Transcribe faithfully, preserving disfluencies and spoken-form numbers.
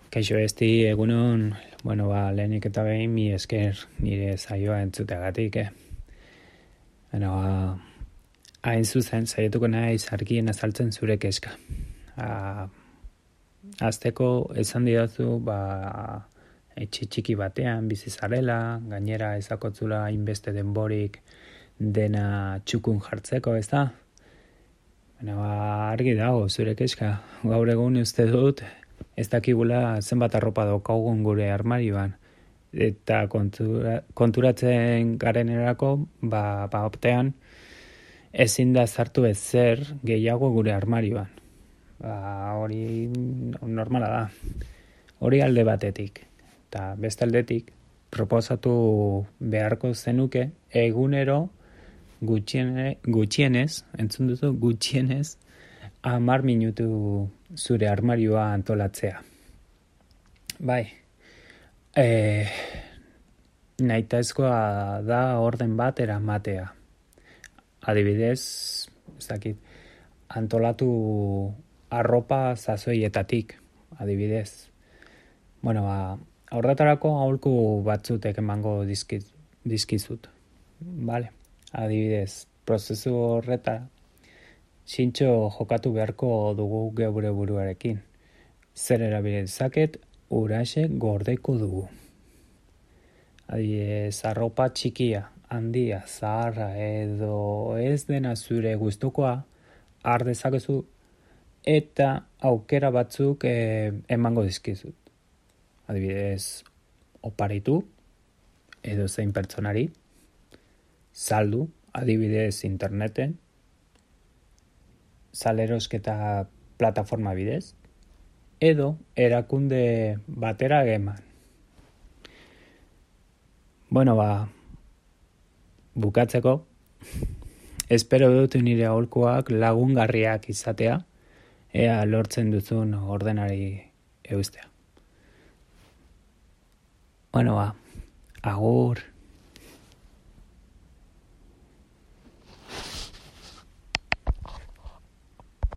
Kaixo esti egunon, bueno, ba, lehenik eta behin mi esker nire saioa entzuteagatik, eh? Bueno, ba, hain zuzen, saietuko naiz argien azaltzen zure keska. A, azteko esan didazu, ba, etxe txiki batean bizi zarela, gainera ezakotzula hainbeste denborik dena txukun jartzeko, ez da? Bueno, ba, argi dago zure keska, gaur egun uste dut, ez dakigula zenbat arropa daukagun gure armarioan. Eta kontura, konturatzen garenerako, ba, ba optean, ezin da sartu ezer gehiago gure armarioan. Ba, hori normala da. Hori alde batetik. Eta beste aldetik, proposatu beharko zenuke egunero gutxiene, gutxienez, entzun duzu, gutxienez, hamar minutu zure armarioa antolatzea. Bai, e, nahitaezkoa da orden bat eramatea. Adibidez, ez dakit, antolatu arropa zazoietatik, adibidez. Bueno, ba, horretarako aholku batzutek emango dizkiz, dizkizut. Vale, adibidez, prozesu horreta zintxo jokatu beharko dugu geure buruarekin. Zer erabili dezaket, uraxe gordeko dugu. Adibidez, arropa txikia, handia, zaharra edo ez dena zure gustukoa har dezakezu eta aukera batzuk eh, emango dizkizut. Adibidez, oparitu edo zein pertsonari, saldu, adibidez interneten, salerosketa plataforma bidez, edo erakunde batera eman. Bueno, ba, bukatzeko, espero dut nire aholkuak lagungarriak izatea, ea lortzen duzun ordenari eustea. Bueno, ba, agur.